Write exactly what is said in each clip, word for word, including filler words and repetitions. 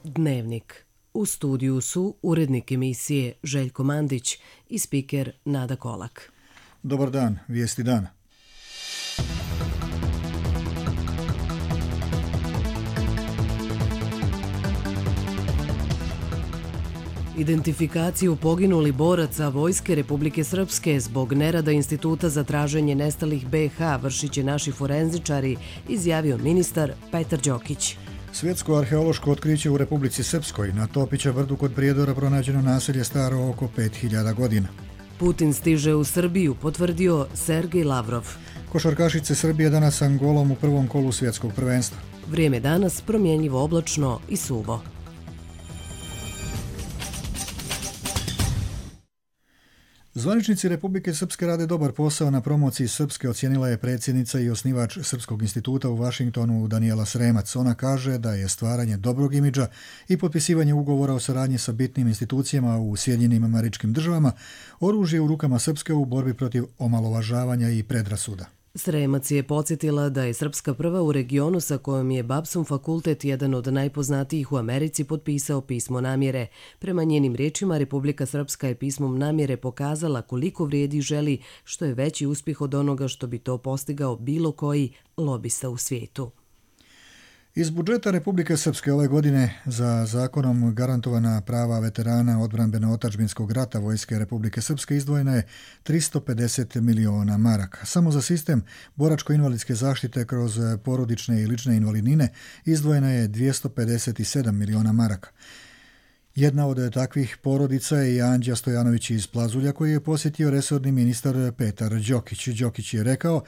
Dnevnik. U studiju su urednik emisije Željko Mandić i spiker Nada Kolak. Dobar dan, vijesti dana. Identifikaciju poginulih boraca Vojske Republike Srpske zbog nerada Instituta za traženje nestalih be i ha vršit će naši forenzičari, izjavio ministar Petar Đokić. Svjetsko arheološko otkriće u Republici Srpskoj. Na Topića brdu kod Prijedora pronađeno naselje staro oko pet hiljada godina. Putin stiže u Srbiju, potvrdio Sergej Lavrov. Košarkašice Srbije danas s Angolom u prvom kolu svjetskog prvenstva. Vrijeme danas promjenjivo oblačno i suvo. Zvaničnici Republike Srpske rade dobar posao na promociji Srpske, ocijenila je predsjednica i osnivač Srpskog instituta u Vašingtonu Danijela Sremac. Ona kaže da je stvaranje dobrog imidža i potpisivanje ugovora o saradnji sa bitnim institucijama u Sjedinjenim Američkim Državama oružje u rukama Srpske u borbi protiv omalovažavanja i predrasuda. Sremac je podsjetila da je Srpska prva u regionu sa kojom je Babson fakultet, jedan od najpoznatijih u Americi, potpisao pismo namjere. Prema njenim riječima, Republika Srpska je pismom namjere pokazala koliko vrijedi i želi, što je veći uspjeh od onoga što bi to postigao bilo koji lobista u svijetu. Iz budžeta Republike Srpske ove godine za zakonom garantovana prava veterana odbrambeno-otadžbinskog rata Vojske Republike Srpske izdvojena je tristo pedeset miliona maraka. Samo za sistem boračko-invalidske zaštite kroz porodične i lične invalidnine izdvojena je dvjesto pedeset sedam miliona maraka. Jedna od takvih porodica je i Anđa Stojanović iz Plazulja, koji je posjetio resorni ministar Petar Đokić. Đokić je rekao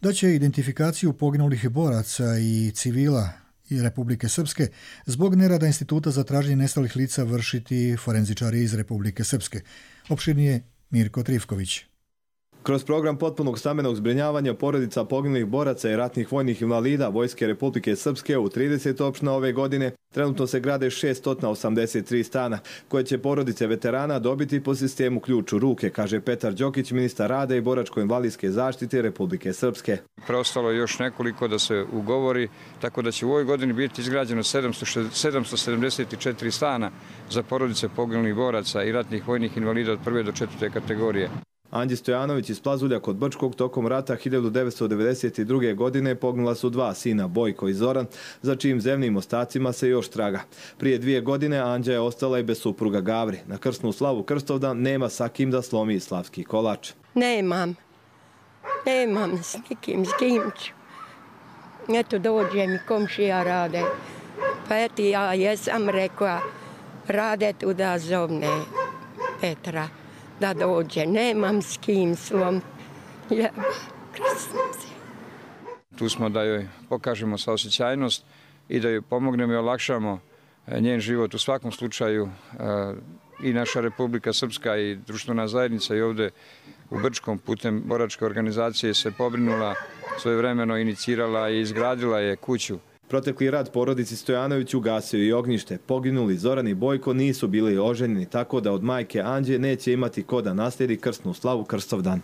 da će identifikaciju poginulih boraca i civila i Republike Srpske zbog nerada Instituta za traženje nestalih lica vršiti forenzičari iz Republike Srpske. Opširnije Mirko Trifković. Kroz program potpunog stambenog zbrinjavanja porodica poginulih boraca i ratnih vojnih invalida Vojske Republike Srpske u trideset opština ove godine trenutno se grade šessto osamdeset tri stana, koje će porodice veterana dobiti po sistemu ključ u ruke, kaže Petar Đokić, ministar rada i boračko-invalidske zaštite Republike Srpske. Preostalo je još nekoliko da se ugovori, tako da će u ovoj godini biti izgrađeno sedamsto sedamdeset četiri stana za porodice poginulih boraca i ratnih vojnih invalida od prve do četvrte kategorije. Anđi Stojanović iz Plazulja kod Brčkog tokom rata hiljadu devetsto devedeset druge. godine poginula su dva sina, Bojko i Zoran, za čijim zemljim ostacima se još traga. Prije dvije godine Anđa je ostala i bez supruga Gavri. Na krsnu slavu Krstovdan nema sa kim da slomi slavski kolač. Nemam. Nemam s nikim, s kim ću. Eto dođe mi komšija rade. Pa eto ja jesam rekla, rade tu da zovne Petra. Da dođe, nemam s kim slom. Ja, tu smo da joj pokažemo saosjećajnost i da joj pomognemo i olakšamo njen život. U svakom slučaju i naša Republika Srpska i društvena zajednica i ovdje u Brčkom putem boračke organizacije se pobrinula, svojevremeno inicirala i izgradila je kuću. Protekli rad porodici Stojanović ugasio i ognjište. Poginuli Zoran i Bojko nisu bili oženjeni, tako da od majke Anđe neće imati ko da naslijedi krsnu slavu Krstovdan.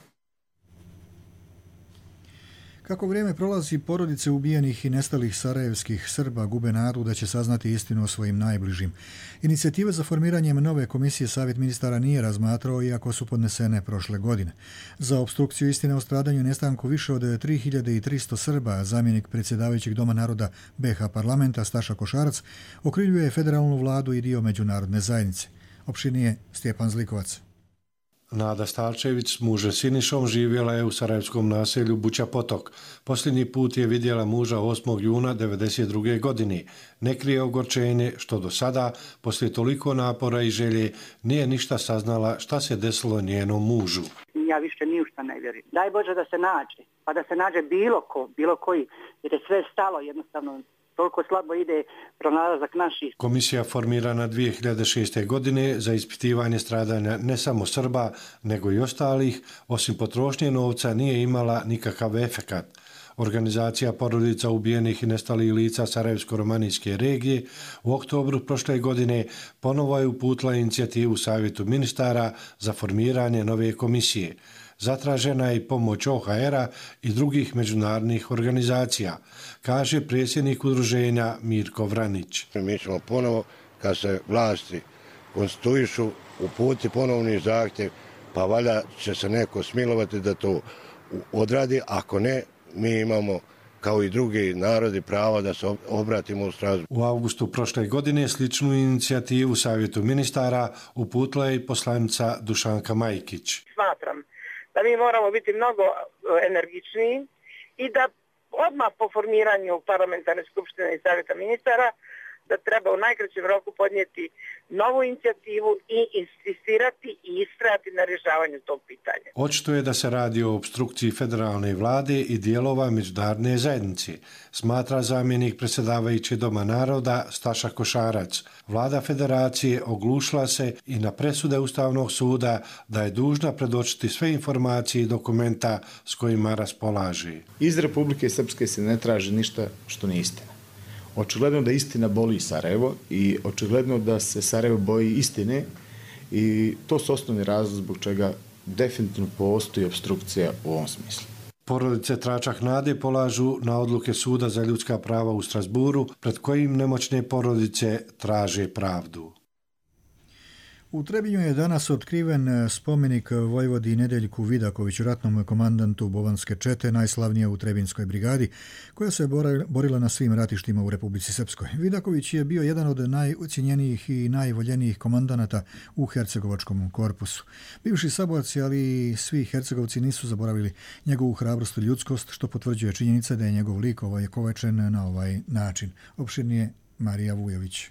Kako vrijeme prolazi, porodice ubijenih i nestalih sarajevskih Srba gube nadu da će saznati istinu o svojim najbližim. Inicijative za formiranjem nove komisije Savjet ministara nije razmatrao, iako su podnesene prošle godine. Za opstrukciju istine o stradanju i nestanku više od tri hiljade tristo Srba, zamjenik predsjedavajućeg Doma naroda be i ha parlamenta Staša Košarac okrivljuje federalnu vladu i dio međunarodne zajednice. Opširnije Stjepan Zlikovac. Nada Stalčević s mužem Sinišom živjela je u sarajevskom naselju Buća Potok. Posljednji put je vidjela muža osmog juna devedeset druge. godine. Ne krije ogorčenje što do sada, poslije toliko napora i želje, nije ništa saznala šta se desilo njenom mužu. Ja više ni u šta ne vjerujem. Daj Bože da se nađe, pa da se nađe bilo ko, bilo koji, jer je sve stalo jednostavno. Toliko slabo ide pronalazak naših. Komisija formirana dvije hiljade šeste. godine za ispitivanje stradanja ne samo Srba, nego i ostalih, osim potrošnje novca, nije imala nikakav efekat. Organizacija porodica ubijenih i nestalih lica Sarajevsko-romanijske regije u oktobru prošle godine ponovo je uputila inicijativu Savjetu ministara za formiranje nove komisije. Zatražena je i pomoć o ha era i drugih međunarodnih organizacija, kaže predsjednik udruženja Mirko Vranić. Mi ćemo ponovo kad se vlasti konstituišu, uputi ponovni zahtjev, pa valjda će se neko smilovati da to odradi. Ako ne, mi imamo kao i drugi narodi prava da se obratimo u Strasbourg. U avgustu prošle godine sličnu inicijativu Savjetu ministara uputila je i poslanica Dušanka Majkić. Smatram da mi moramo biti mnogo energičniji i da odmah po formiranju parlamentarne skupštine i Savjeta ministara da treba u najkraćem roku podnijeti novu inicijativu i insistirati i istrajati na rješavanju tog pitanja. Očito je da se radi o opstrukciji federalne vlade i dijelova međunarodne zajednice, smatra zamjenik predsjedavajući Doma naroda Staša Košarac. Vlada federacije oglušila se i na presude Ustavnog suda da je dužna predočiti sve informacije i dokumenta s kojima raspolaže. Iz Republike Srpske se ne traži ništa što nije istina. Očigledno da istina boli Sarajevo i očigledno da se Sarajevo boji istine i to su osnovni razlog zbog čega definitivno postoji opstrukcija u ovom smislu. Porodice Tračak nade polažu na odluke Suda za ljudska prava u Strasburu, pred kojim nemoćne porodice traže pravdu. U Trebinju je danas otkriven spomenik vojvodi Nedeljku Vidakoviću, ratnom komandantu Bobanske čete, najslavnije u Trebinskoj brigadi, koja se borila na svim ratištima u Republici Srpskoj. Vidaković je bio jedan od najocijenjenijih i najvoljenijih komandanata u hercegovačkom korpusu. Bivši saborci, ali i svi hercegovci nisu zaboravili njegovu hrabrost i ljudskost, što potvrđuje činjenica da je njegov lik ovekovečen na ovaj način. Opširnije Marija Vujović.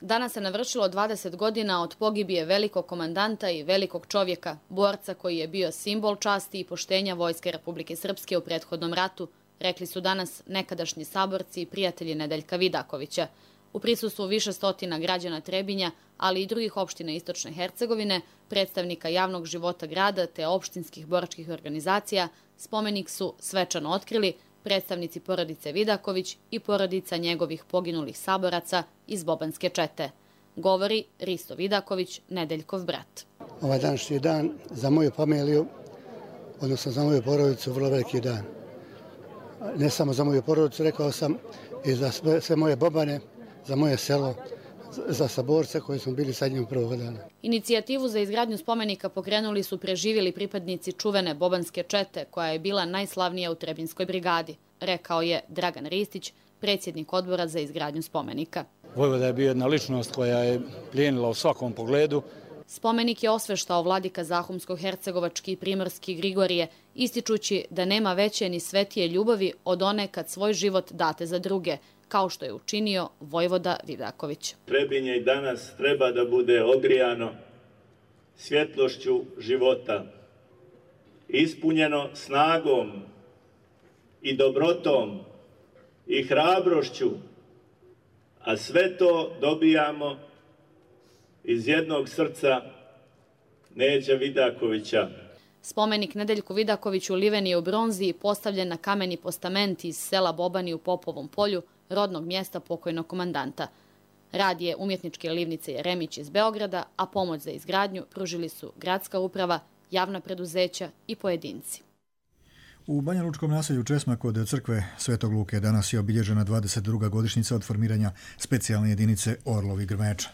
Danas se navršilo dvadeset godina od pogibije velikog komandanta i velikog čovjeka, borca koji je bio simbol časti i poštenja Vojske Republike Srpske u prethodnom ratu, rekli su danas nekadašnji saborci i prijatelji Nedeljka Vidakovića. U prisustvu više stotina građana Trebinja, ali i drugih opština Istočne Hercegovine, predstavnika javnog života grada te opštinskih boračkih organizacija, spomenik su svečano otkrili predstavnici porodice Vidaković i porodica njegovih poginulih saboraca iz Bobanske čete. Govori Risto Vidaković, Nedeljkov brat. Ovaj današnji dan za moju familiju, odnosno za moju porodicu, vrlo veliki dan. Ne samo za moju porodicu, rekao sam, i za sve, sve moje Bobane, za moje selo, za saborce koji smo bili sa njim prvog dana. Inicijativu za izgradnju spomenika pokrenuli su preživjeli pripadnici čuvene Bobanske čete, koja je bila najslavnija u Trebinskoj brigadi, rekao je Dragan Ristić, predsjednik odbora za izgradnju spomenika. Vojvoda je bio jedna ličnost koja je plijenila u svakom pogledu. Spomenik je osveštao vladika Zahumsko-hercegovački i primorski Grigorije, ističući da nema veće ni svetije ljubavi od one kad svoj život date za druge, kao što je učinio vojvoda Vidaković. Trebinje i danas treba da bude ogrijano svjetlošću života, ispunjeno snagom i dobrotom i hrabrošću, a sve to dobijamo iz jednog srca Neđa Vidakovića. Spomenik Nedeljku Vidakoviću liven je u bronzi i postavljen na kameni postament iz sela Bobani u Popovom polju, rodnog mjesta pokojnog komandanta. Rad je umjetničke livnice Jeremić iz Beograda, a pomoć za izgradnju pružili su gradska uprava, javna preduzeća i pojedinci. U Banjalučkom naselju Česma kod crkve Svetog Luke danas je obilježena dvadeset druga godišnjica od formiranja specijalne jedinice Orlovi Grmeča.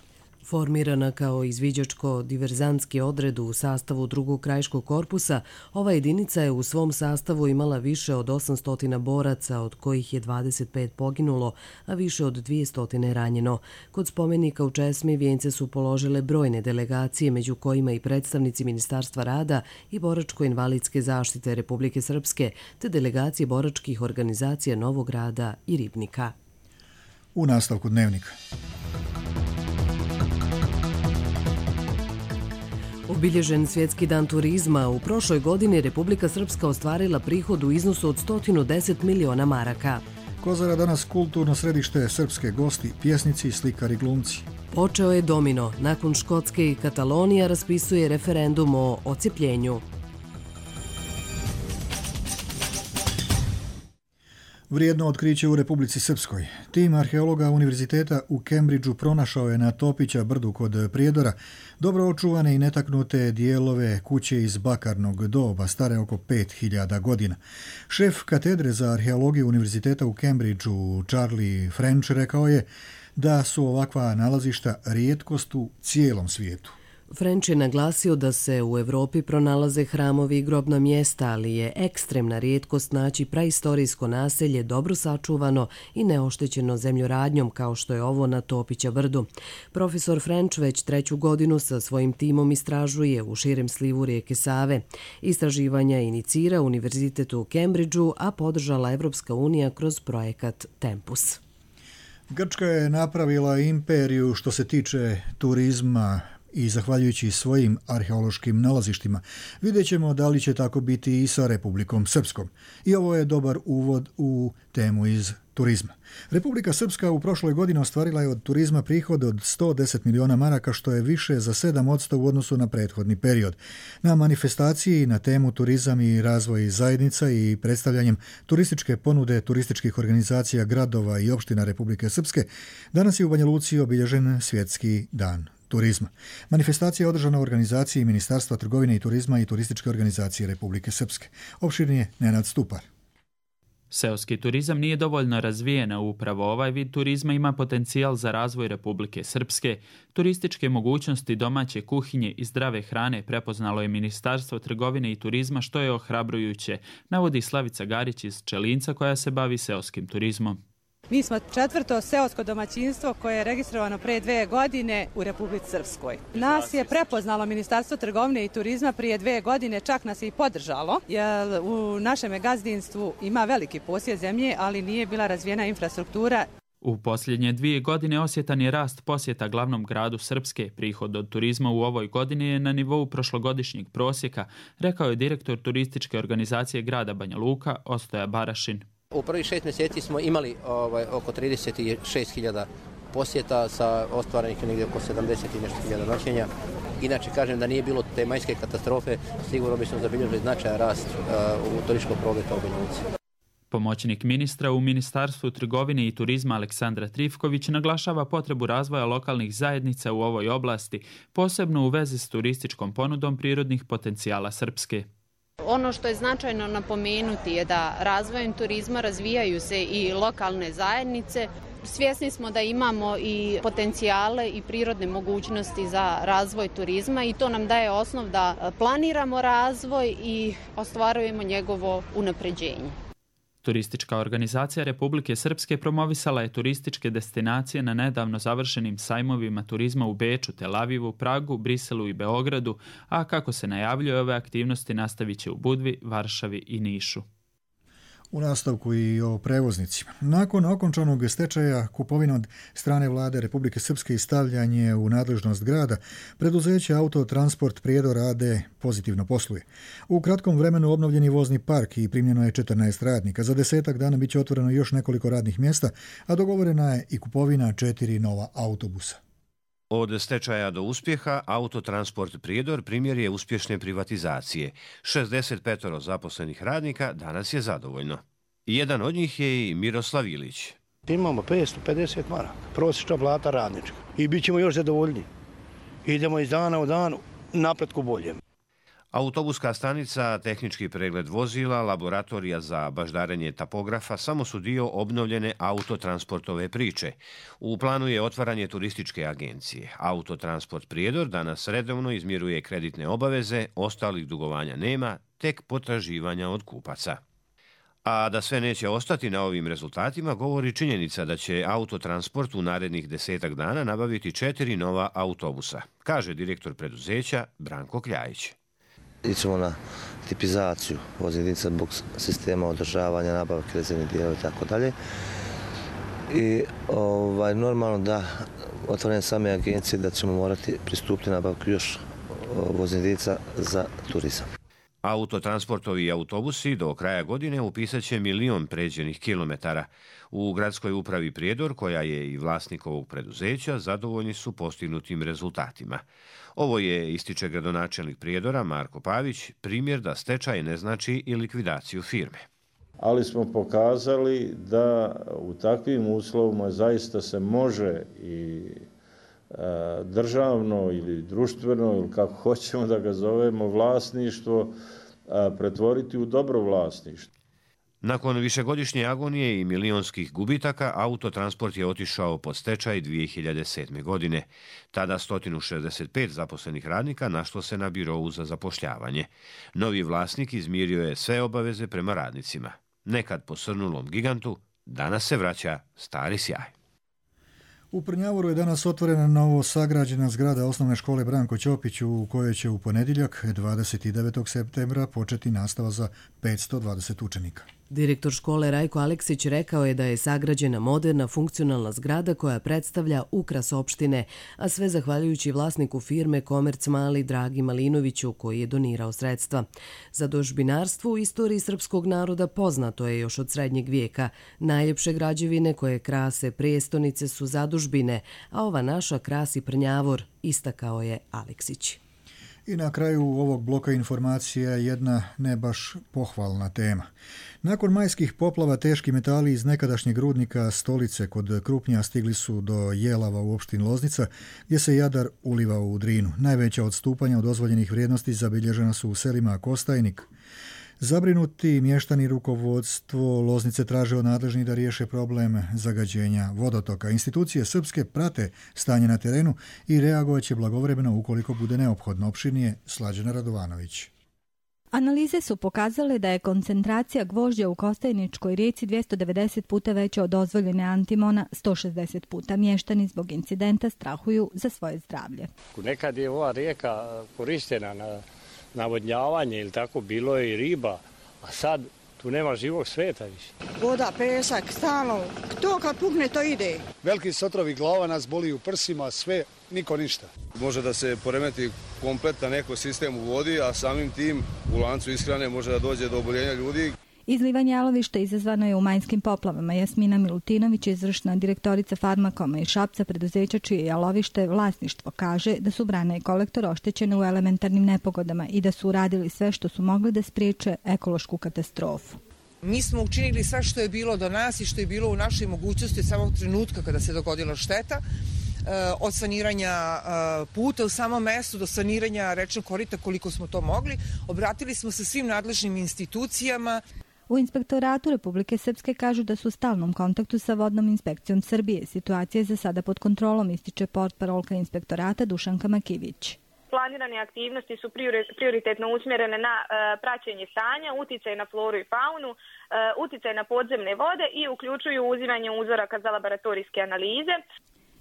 Formirana kao izviđačko-diverzantski odred u sastavu drugog krajiškog korpusa, ova jedinica je u svom sastavu imala više od osamsto boraca, od kojih je dvadeset pet poginulo, a više od dvjesto ranjeno. Kod spomenika u Česmi vijence su položile brojne delegacije, među kojima i predstavnici Ministarstva rada i boračko-invalidske zaštite Republike Srpske, te delegacije boračkih organizacija Novog Grada i Ribnika. U nastavku dnevnika. Obilježen Svjetski dan turizma, u prošloj godini Republika Srpska ostvarila prihod u iznosu od sto deset miliona maraka. Kozara danas kulturno središte, srpske gosti, pjesnici, slikari, glumci. Počeo je domino. Nakon Škotske i Katalonija raspisuje referendum o ocijepljenju. Vrijedno otkriće u Republici Srpskoj. Tim arheologa Univerziteta u Cambridgeu pronašao je na Topića brdu kod Prijedora dobro očuvane i netaknute dijelove kuće iz bakarnog doba, stare oko pet hiljada godina. Šef katedre za arheologiju Univerziteta u Cambridgeu, Charlie French, rekao je: da su ovakva nalazišta rijetkost u cijelom svijetu. French je naglasio da se u Evropi pronalaze hramovi i grobna mjesta, ali je ekstremna rijetkost naći praistorijsko naselje dobro sačuvano i neoštećeno zemljoradnjom kao što je ovo na Topića brdu. Profesor French već treću godinu sa svojim timom istražuje u širem slivu rijeke Save. Istraživanja inicira Univerzitet u Cambridgeu, a podržala Evropska unija kroz projekat Tempus. Grčka je napravila imperiju što se tiče turizma i zahvaljujući svojim arheološkim nalazištima. Vidjet ćemo da li će tako biti i sa Republikom Srpskom. I ovo je dobar uvod u temu iz turizma. Republika Srpska u prošloj godini ostvarila je od turizma prihod od sto deset miliona maraka, što je više za sedam posto u odnosu na prethodni period. Na manifestaciji na temu turizam i razvoj zajednica i predstavljanjem turističke ponude turističkih organizacija gradova i opština Republike Srpske danas je u Banja Luci obilježen Svjetski dan turizma. Manifestacija je održana u organizaciji Ministarstva trgovine i turizma i turističke organizacije Republike Srpske. Opširnije Nenad Stupar. Seoski turizam nije dovoljno razvijen, a upravo ovaj vid turizma ima potencijal za razvoj Republike Srpske. Turističke mogućnosti domaće kuhinje i zdrave hrane prepoznalo je Ministarstvo trgovine i turizma, što je ohrabrujuće, navodi Slavica Garić iz Čelinca koja se bavi seoskim turizmom. Mi smo četvrto seosko domaćinstvo koje je registrovano pre dve godine u Republici Srpskoj. Nas je prepoznalo Ministarstvo trgovine i turizma prije dve godine, čak nas je i podržalo, jer u našem gazdinstvu ima veliki posjed zemlje, ali nije bila razvijena infrastruktura. U posljednje dvije godine osjetan je rast posjeta glavnom gradu Srpske. Prihod od turizma u ovoj godini je na nivou prošlogodišnjeg prosjeka, rekao je direktor turističke organizacije grada Banja Luka, Ostoja Barašin. U prvih šest mjeseci smo imali ovaj, oko trideset šest hiljada posjeta sa ostvarenih negdje oko sedamdeset i nešto hiljada noćenja. Inače, kažem da nije bilo te majske katastrofe, sigurno bismo zabilježili značajan rast uh, u turističkog prometa u Banja Luci. Pomoćnik ministra u Ministarstvu trgovine i turizma Aleksandra Trifković naglašava potrebu razvoja lokalnih zajednica u ovoj oblasti, posebno u vezi s turističkom ponudom prirodnih potencijala Srpske. Ono što je značajno napomenuti je da razvojem turizma razvijaju se i lokalne zajednice. Svjesni smo da imamo i potencijale i prirodne mogućnosti za razvoj turizma i to nam daje osnov da planiramo razvoj i ostvarujemo njegovo unapređenje. Turistička organizacija Republike Srpske promovisala je turističke destinacije na nedavno završenim sajmovima turizma u Beču, Tel Avivu, Pragu, Briselu i Beogradu, a kako se najavljuje, ove aktivnosti nastavit će u Budvi, Varšavi i Nišu. U nastavku i o prevoznicima. Nakon okončanog stečaja, kupovina od strane vlade Republike Srpske i stavljanje u nadležnost grada, preduzeće Autotransport Prijedor A D pozitivno posluje. U kratkom vremenu obnovljeni vozni park i primljeno je četrnaest radnika. Za desetak dana biće otvoreno još nekoliko radnih mjesta, a dogovorena je i kupovina četiri nova autobusa. Od stečaja do uspjeha, Autotransport Prijedor primjer je uspješne privatizacije. šezdeset pet zaposlenih radnika danas je zadovoljno. Jedan od njih je i Miroslav Ilić. Imamo petsto pedeset maraka, prosječna plata radnička i bit ćemo još zadovoljni. Idemo iz dana u dan napretku bolje. Autobuska stanica, tehnički pregled vozila, laboratorija za baždarenje tapografa samo su dio obnovljene autotransportove priče. U planu je otvaranje turističke agencije. Autotransport Prijedor danas redovno izmiruje kreditne obaveze, ostalih dugovanja nema, tek potraživanja od kupaca. A da sve neće ostati na ovim rezultatima govori činjenica da će Autotransport u narednih desetak dana nabaviti četiri nova autobusa, kaže direktor preduzeća Branko Kljajić. Ićemo na tipizaciju voznih jedinica zbog sistema održavanja, nabavke rezervnih dijelova i tako dalje. I ovaj, normalno da otvorenje same agencije da ćemo morati pristupiti nabavku još voznih jedinica za turizam. Autotransportovi autobusi do kraja godine upisat će milion pređenih kilometara. U gradskoj upravi Prijedor, koja je i vlasnik ovog preduzeća, zadovoljni su postignutim rezultatima. Ovo je, ističe gradonačelnik Prijedora Marko Pavić, primjer da stečaj ne znači i likvidaciju firme. Ali smo pokazali da u takvim uslovima zaista se može i državno ili društveno, ili kako hoćemo da ga zovemo, vlasništvo pretvoriti u dobro vlasništvo. Nakon višegodišnje agonije i milionskih gubitaka, Autotransport je otišao pod stečaj dvije hiljade sedme. godine. Tada sto šezdeset pet zaposlenih radnika našlo se na birovu za zapošljavanje. Novi vlasnik izmirio je sve obaveze prema radnicima. Nekad posrnulom gigantu, danas se vraća stari sjaj. U Prnjavoru je danas otvorena novo sagrađena zgrada osnovne škole Branko Ćopić u kojoj će u ponedjeljak dvadeset devetog septembra početi nastava za petsto dvadeset učenika. Direktor škole Rajko Aleksić rekao je da je sagrađena moderna, funkcionalna zgrada koja predstavlja ukras opštine, a sve zahvaljujući vlasniku firme Komerc Mali Dragi Malinoviću koji je donirao sredstva. Zadužbinarstvo u istoriji srpskog naroda poznato je još od srednjeg vijeka. Najljepše građevine koje krase prijestonice su zadužbine, a ova naša krasi Prnjavor, istakao je Aleksić. I na kraju ovog bloka informacija jedna ne baš pohvalna tema. Nakon majskih poplava teški metali iz nekadašnjeg rudnika Stolice kod Krupnja stigli su do Jelava u opštini Loznica, gdje se Jadar ulivao u Drinu. Najveća odstupanja od dozvoljenih vrijednosti zabilježena su u selima Kostajnik. Zabrinuti mještani rukovodstvo Loznice traže od nadležnih da riješe problem zagađenja vodotoka. Institucije srpske prate stanje na terenu i reagovat će blagovremeno ukoliko bude neophodno. Opširnije Slađana Radovanović. Analize su pokazale da je koncentracija gvožđa u Kostajničkoj rijeci dvjesto devedeset puta veća od dozvoljene antimona, sto šezdeset puta. Mještani zbog incidenta strahuju za svoje zdravlje. Nekad je ova rijeka korištena na navodnjavanje ili tako, bilo je i riba, a sad tu nema živog sveta više. Voda, pesak, stalno, to kad pukne to ide. Veliki sotrovi glava nas boli u prsima, sve, niko ništa. Može da se poremeti kompletan ekosistem u vodi, a samim tim u lancu ishrane može da dođe do oboljenja ljudi. Izlivanje jalovišta izazvano je u majskim poplavama. Jasmina Milutinović, izvršna direktorica Farmakoma i Šapca, preduzeća čije jalovište vlasništvo, kaže da su brana i kolektor oštećene u elementarnim nepogodama i da su uradili sve što su mogli da spriječe ekološku katastrofu. Mi smo učinili sve što je bilo do nas i što je bilo u našoj mogućnosti od samog trenutka kada se dogodila šteta, od saniranja puta u samom mestu do saniranja rečnog korita koliko smo to mogli. Obratili smo se svim nadležnim institucijama. U Inspektoratu Republike Srpske kažu da su u stalnom kontaktu sa Vodnom inspekcijom Srbije. Situacija je za sada pod kontrolom, ističe portparolka Inspektorata Dušanka Makivić. Planirane aktivnosti su prioritetno usmjerene na praćenje stanja, uticaj na floru i faunu, uticaj na podzemne vode i uključuju uzimanje uzoraka za laboratorijske analize.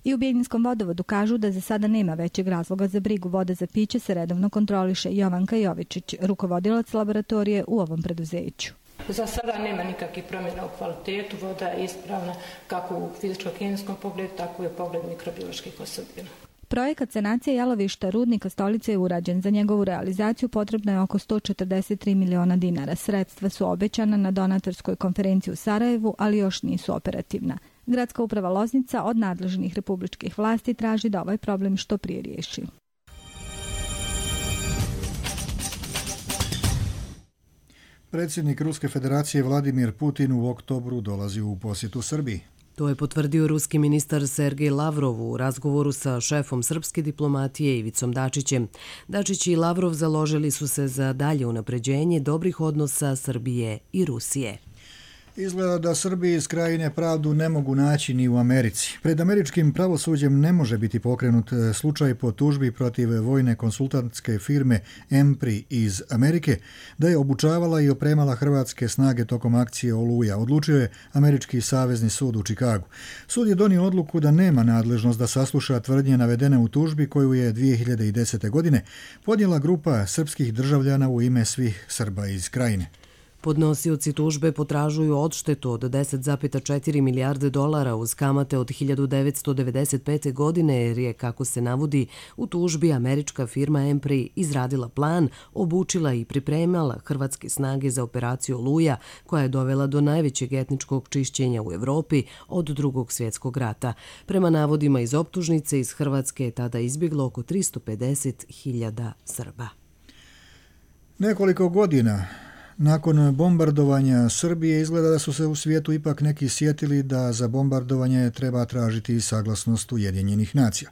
I u Bijeljinskom vodovodu kažu da za sada nema većeg razloga za brigu. Voda za piće se redovno kontroliše. Jovanka Jovičić, rukovodilac laboratorije u ovom preduzeću. Za sada nema nikakvih promjena u kvalitetu, voda je ispravna kako u fizičko-kemijskom pogledu, tako i u pogledu mikrobioloških osobina. Projekat sanacije jalovišta rudnika Stolice je urađen. Za njegovu realizaciju potrebno je oko sto četrdeset tri miliona dinara. Sredstva su obećana na donatorskoj konferenciji u Sarajevu, ali još nisu operativna. Gradska uprava Loznica od nadležnih republičkih vlasti traži da ovaj problem što prije riješi. Predsjednik Ruske federacije Vladimir Putin u oktobru dolazi u posjetu Srbiji. To je potvrdio ruski ministar Sergej Lavrov u razgovoru sa šefom srpske diplomatije Ivicom Dačićem. Dačić i Lavrov založili su se za dalje unapređenje dobrih odnosa Srbije i Rusije. Izgleda da Srbiji iz Krajine pravdu ne mogu naći ni u Americi. Pred američkim pravosuđem ne može biti pokrenut slučaj po tužbi protiv vojne konsultantske firme Empri iz Amerike da je obučavala i opremala hrvatske snage tokom akcije Oluja. Odlučio je Američki savezni sud u Čikagu. Sud je donio odluku da nema nadležnost da sasluša tvrdnje navedene u tužbi koju je dvije hiljade desete. godine podnijela grupa srpskih državljana u ime svih Srba iz Krajine. Podnosioci tužbe potražuju odštetu od deset zarez četiri milijarde dolara uz kamate od hiljadu devetsto devedeset pete. godine jer je, kako se navodi, u tužbi američka firma Empri izradila plan, obučila i pripremala hrvatske snage za operaciju Oluja koja je dovela do najvećeg etničkog čišćenja u Evropi od Drugog svjetskog rata. Prema navodima iz optužnice, iz Hrvatske je tada izbjeglo oko tristo pedeset hiljada Srba. Nekoliko godina nakon bombardovanja Srbije izgleda da su se u svijetu ipak neki sjetili da za bombardovanje treba tražiti saglasnost Ujedinjenih nacija.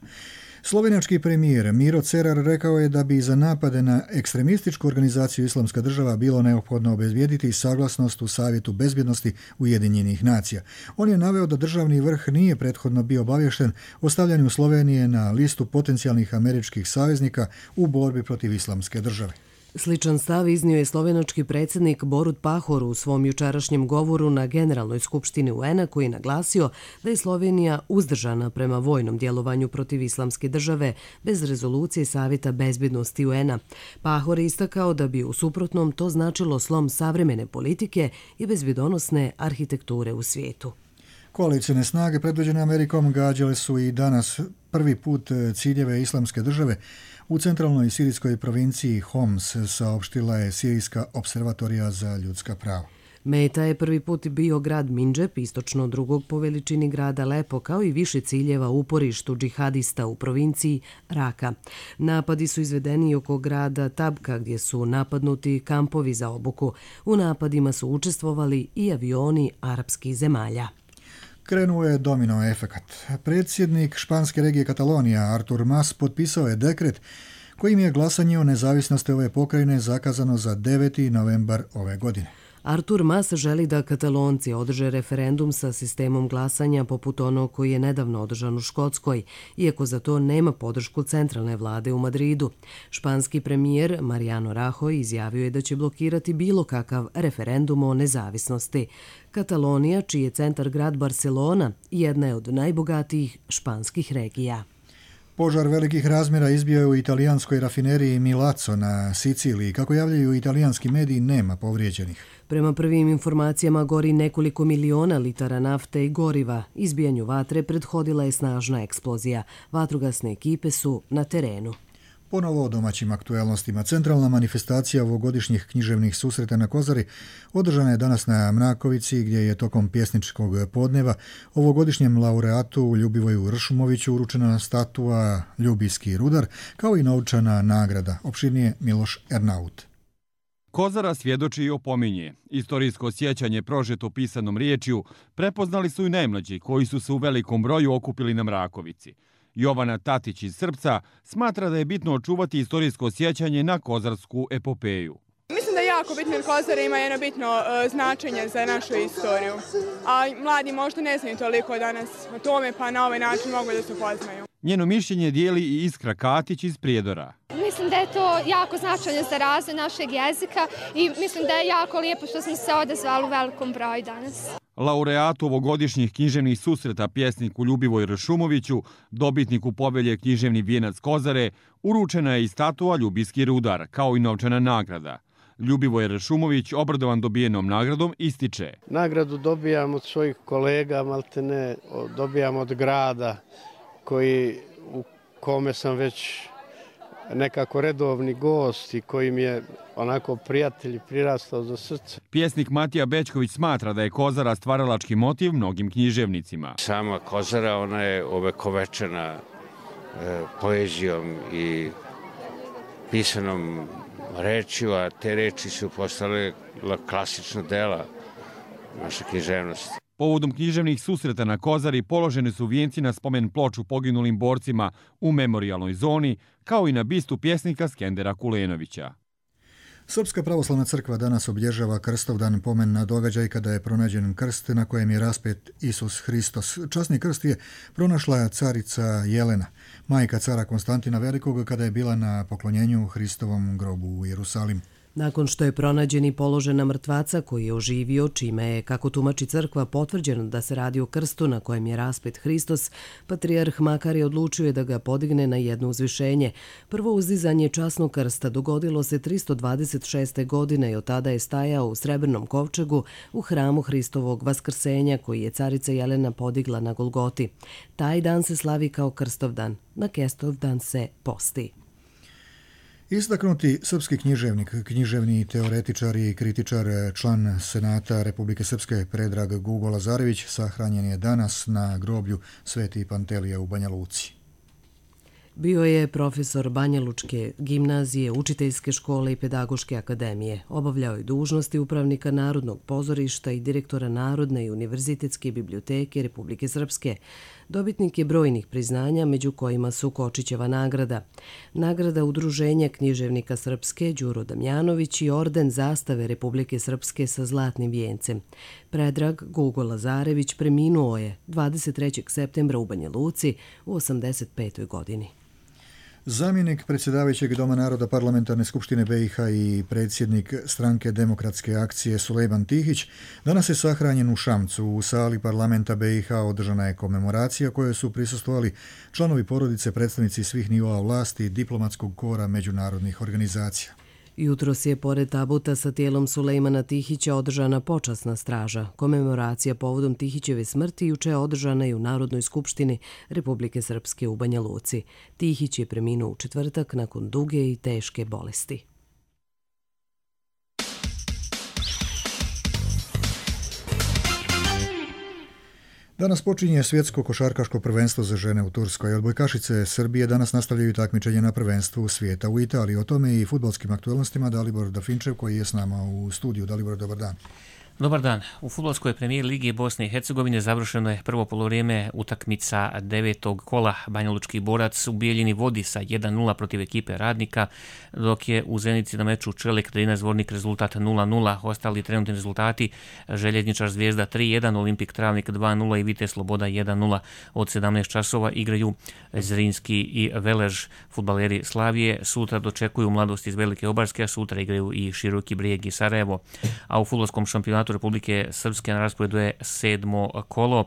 Slovenački premijer Miro Cerar rekao je da bi za napade na ekstremističku organizaciju Islamska država bilo neophodno obezbijediti saglasnost u Savjetu bezbjednosti Ujedinjenih nacija. On je naveo da državni vrh nije prethodno bio obavješten o stavljanju Slovenije na listu potencijalnih američkih saveznika u borbi protiv Islamske države. Sličan stav iznio je slovenački predsjednik Borut Pahor u svom jučerašnjem govoru na Generalnoj skupštini U N A, koji je naglasio da je Slovenija uzdržana prema vojnom djelovanju protiv Islamske države bez rezolucije Savjeta bezbjednosti U N A. Pahor je istakao da bi u suprotnom to značilo slom savremene politike i bezbjedonosne arhitekture u svijetu. Koalicijne snage predvođene Amerikom gađale su i danas prvi put ciljeve Islamske države u centralnoj sirijskoj provinciji Homs, saopštila je Sirijska observatorija za ljudska prava. Meta je prvi put bio grad Mindžep, istočno drugog po veličini grada Lepo, kao i više ciljeva u uporištu džihadista u provinciji Raka. Napadi su izvedeni oko grada Tabka, gdje su napadnuti kampovi za obuku. U napadima su učestvovali i avioni arapskih zemalja. Krenuo je domino efekat. Predsjednik španske regije Katalonija Artur Mas potpisao je dekret kojim je glasanje o nezavisnosti ove pokrajine zakazano za deveti novembar ove godine. Artur Mas želi da Katalonci održe referendum sa sistemom glasanja poput onog koji je nedavno održan u Škotskoj, iako za to nema podršku centralne vlade u Madridu. Španski premijer Mariano Rajoy izjavio je da će blokirati bilo kakav referendum o nezavisnosti. Katalonija, čiji je centar grad Barcelona, jedna je od najbogatijih španskih regija. Požar velikih razmjera izbio je u italijanskoj rafineriji Milazzo na Siciliji. Kako javljaju italijanski mediji, nema povrijeđenih. Prema prvim informacijama gori nekoliko miliona litara nafte i goriva. Izbijanju vatre prethodila je snažna eksplozija. Vatrogasne ekipe su na terenu. Ponovo o domaćim aktuelnostima. Centralna manifestacija ovogodišnjih književnih susreta na Kozari održana je danas na Mrakovici, gdje je tokom pjesničkog podneva ovogodišnjem laureatu Ljubivoju Ršumoviću uručena statua Ljubijski rudar, kao i novčana nagrada. Opširnije Miloš Ernaut. Kozara svjedoči i opominje. Istorijsko sjećanje prožeto pisanom riječju prepoznali su i najmlađi koji su se u velikom broju okupili na Mrakovici. Jovana Tatić iz Srpca smatra da je bitno očuvati istorijsko sjećanje na kozarsku epopeju. Mislim da je jako bitno jer Kozara ima jedno bitno uh, značenje za našu istoriju. A mladi možda ne znaju toliko danas o tome, pa na ovaj način mogu da se upoznaju. Njeno mišljenje dijeli i Iskra Katić iz Prijedora. Mislim da je to jako značajno za razvoj našeg jezika i mislim da je jako lijepo što smo se odazvali u velikom broju danas. Laureatu ovogodišnjih književnih susreta pjesniku Ljubivoj Ršumoviću, dobitniku pobelje Književni vijenac Kozare, uručena je i statua Ljubijski rudar, kao i novčana nagrada. Ljubivoj Ršumović, obradovan dobijenom nagradom, ističe. Nagradu dobijam od svojih kolega, maltene dobijam od grada koji, u kome sam već nekako redovni gost i koji mi je onako prijatelj prirastao za srce. Pjesnik Matija Bečković smatra da je Kozara stvaralački motiv mnogim književnicima. Sama Kozara, ona je ovekovečena e, poezijom i pisanom rečju, a te reči su postale klasična dela naše književnosti. Povodom književnih susreta na Kozari položeni su vijenci na spomen ploču poginulim borcima u memorijalnoj zoni, kao i na bistu pjesnika Skendera Kulenovića. Srpska pravoslavna crkva danas obilježava Krstovdan, pomen na događaj kada je pronađen krst na kojem je raspet Isus Hristos. Časni krst je pronašla carica Jelena, majka cara Konstantina Velikog, kada je bila na poklonjenju Hristovom grobu u Jerusalimu. Nakon što je pronađen i položen na mrtvaca koji je oživio, čime je, kako tumači crkva, potvrđeno da se radi o krstu na kojem je raspet Hristos, patrijarh Makar odlučio je da ga podigne na jedno uzvišenje. Prvo uzdizanje časnog krsta dogodilo se tristo dvadeset šeste. godine i od tada je stajao u srebrnom kovčegu u hramu Hristovog vaskrsenja koji je carica Jelena podigla na Golgoti. Taj dan se slavi kao Krstovdan, na Kestovdan se posti. Istaknuti srpski književnik, književni teoretičar i kritičar, član Senata Republike Srpske Predrag Gugo Lazarević sahranjen je danas na groblju Sveti Pantelija u Banja Luci. Bio je profesor Banjalučke gimnazije, učiteljske škole i pedagoške akademije. Obavljao je dužnosti upravnika Narodnog pozorišta i direktora Narodne i univerzitetske biblioteke Republike Srpske. Dobitnik je brojnih priznanja, među kojima su Kočićeva nagrada, nagrada Udruženja književnika Srpske Đuro Damjanović i orden zastave Republike Srpske sa zlatnim vijencem. Predrag Gugo Lazarević preminuo je dvadeset trećeg septembra u Banja Luci u osamdeset petoj godini. Zamjenik predsjedavajućeg Doma naroda Parlamentarne skupštine be i ha i predsjednik stranke Demokratske akcije Sulejman Tihić danas je sahranjen u Šamcu. U sali parlamenta be i ha održana je komemoracija kojoj su prisustvovali članovi porodice, predstavnici svih nivoa vlasti i diplomatskog kora međunarodnih organizacija. Jutros je pored tabuta sa tijelom Sulejmana Tihića održana počasna straža. Komemoracija povodom Tihićeve smrti juče je održana i u Narodnoj skupštini Republike Srpske u Banja Luci. Tihić je preminuo u četvrtak nakon duge i teške bolesti. Danas počinje svjetsko košarkaško prvenstvo za žene u Turskoj. Odbojkašice Srbije danas nastavljaju takmičenje na prvenstvu svijeta u Italiji. O tome i fudbalskim aktualnostima Dalibor Dafinčev koji je s nama u studiju. Dalibor, dobar dan. Dobar dan. U fudbalskoj premijer Ligi Bosne i Hercegovine završeno je prvo polovrijeme utakmica devetog kola. Banjalučki Borac u Bijeljini vodi sa jedan nula protiv ekipe Radnika, dok je u Zenici na meču Čelik Drina Zvornik rezultat nula nula. Ostali trenutni rezultati: Željezničar Zvijezda tri jedan, Olimpik Travnik dva nula i Vitez Sloboda jedan nula. Od sedamnaest časova igraju Zrinski i Velež. Fudbaleri Slavije sutra dočekuju Mladost iz Velike Obarske, a sutra igraju i Široki Brijeg i Sarajevo. A u fudbalskom šampionatu Republike Srpske na rasporedu je sedmo kolo.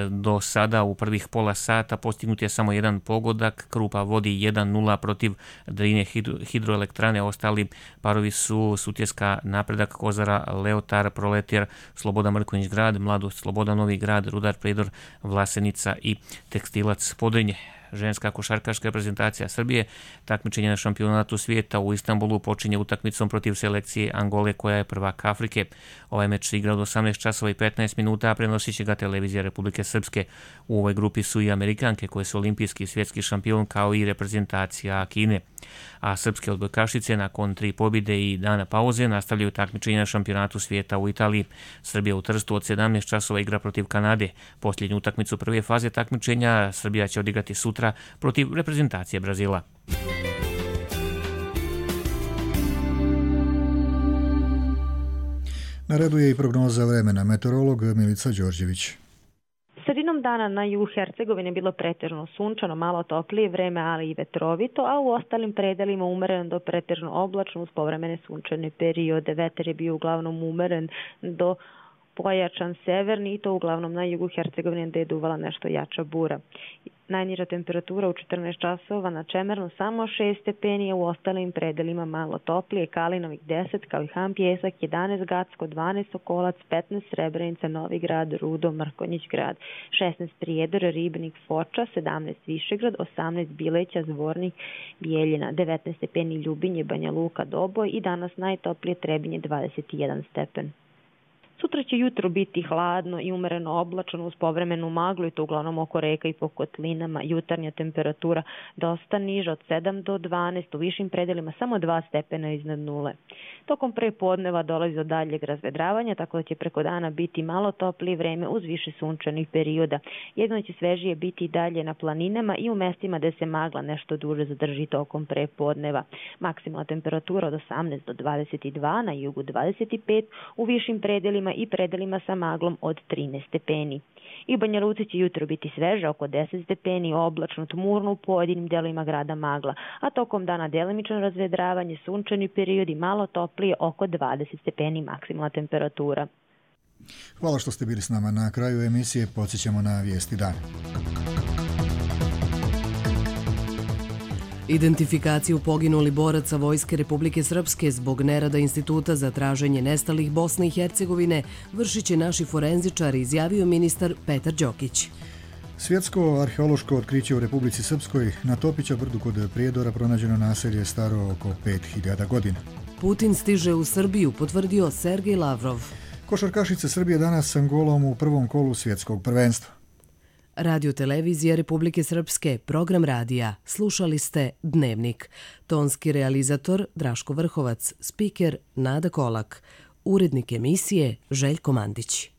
Do sada u prvih pola sata postignut je samo jedan pogodak. Krupa vodi jedan nula protiv Drine hidroelektrane. Ostali parovi su Sutjeska Napredak, Kozara Leotar, Proletar, Sloboda Mrkonjić Grad, Mladost Sloboda Novi Grad, Rudar Predor, Vlasenica i Tekstilac Podrinje. Ženska košarkaška reprezentacija Srbije takmičenje na šampionatu svijeta u Istanbulu počinje utakmicom protiv selekcije Angole koja je prvak Afrike. Ovaj meč se igra od osamnaest časova i petnaest minuta, a prenosit će ga televizija Republike Srpske. U ovoj grupi su i Amerikanke koje su olimpijski i svjetski šampion kao i reprezentacija Kine. A srpske odbojkašice nakon tri pobjede i dana pauze nastavljaju takmičenje na šampionatu svijeta u Italiji. Srbija u Trstu od sedamnaest časova igra protiv Kanade. Posljednju utakmicu prve faze takmičenja Srbija će odigrati sutra protiv reprezentacije Brazila. Na redu je i prognoza vremena. Meteorolog Milica Đorđević. Sredinom dana na jugu Hercegovine bilo pretežno sunčano, malo toplije vreme, ali i vetrovito, a u ostalim predelima umeren do pretežno oblačno uz povremene sunčane periode. Vetar je bio uglavnom umeren do pojačan severni i to uglavnom na jugu Hercegovine gde je duvala nešto jača bura. Najniža temperatura u četrnaest časova na Čemernu samo šest stepeni, a u ostalim predelima malo toplije, Kalinovik deset, kao i Han Pjesak, jedanaest Gacko, dvanaest Sokolac, petnaest Srebrenica, Novi Grad, Rudo, Mrkonjić Grad, šesnaest Prijedor, Ribnik, Foča, sedamnaest Višegrad, osamnaest Bileća, Zvornik, Bijeljina, devetnaest stepeni Ljubinje, Banja Luka, Doboj i danas najtoplije Trebinje dvadeset jedan stepen. Sutra će jutro biti hladno i umereno oblačno uz povremenu maglu i to uglavnom oko reka i po kotlinama. Jutarnja temperatura dosta niža od sedam do dvanaest, u višim predelima samo dva stepena iznad nule. Tokom prepodneva dolazi do daljeg razvedravanja, tako da će preko dana biti malo toplije vreme uz više sunčanih perioda. Jedno će svežije biti i dalje na planinama i u mestima gde se magla nešto duže zadrži tokom prepodneva. Maksimalna temperatura od osamnaest do dvadeset dva, na jugu dvadeset pet, u višim predelima i predelima sa maglom od trinaest stepeni. I u Banja Luci će jutro biti sveže, oko deset stepeni, oblačno, tmurno u pojedinim delovima grada magla, a tokom dana delimično razvedravanje, sunčani periodi, malo toplije, oko dvadeset stepeni maksimalna temperatura. Hvala što ste bili s nama. Na kraju emisije podsjećamo na vijesti dana. Identifikaciju poginuli boraca Vojske Republike Srpske zbog nerada Instituta za traženje nestalih Bosne i Hercegovine vršit će naši forenzičari, izjavio ministar Petar Đokić. Svjetsko arheološko otkriće u Republici Srpskoj, na Topića brdu kod Prijedora pronađeno naselje staro oko pet hiljada godina. Putin stiže u Srbiju, potvrdio Sergej Lavrov. Košarkašice Srbije danas s Angolom u prvom kolu svjetskog prvenstva. Radio televizija Republike Srpske, program radija. Slušali ste Dnevnik. Tonski realizator Draško Vrhovac, spiker Nada Kolak, urednik emisije Željko Mandić.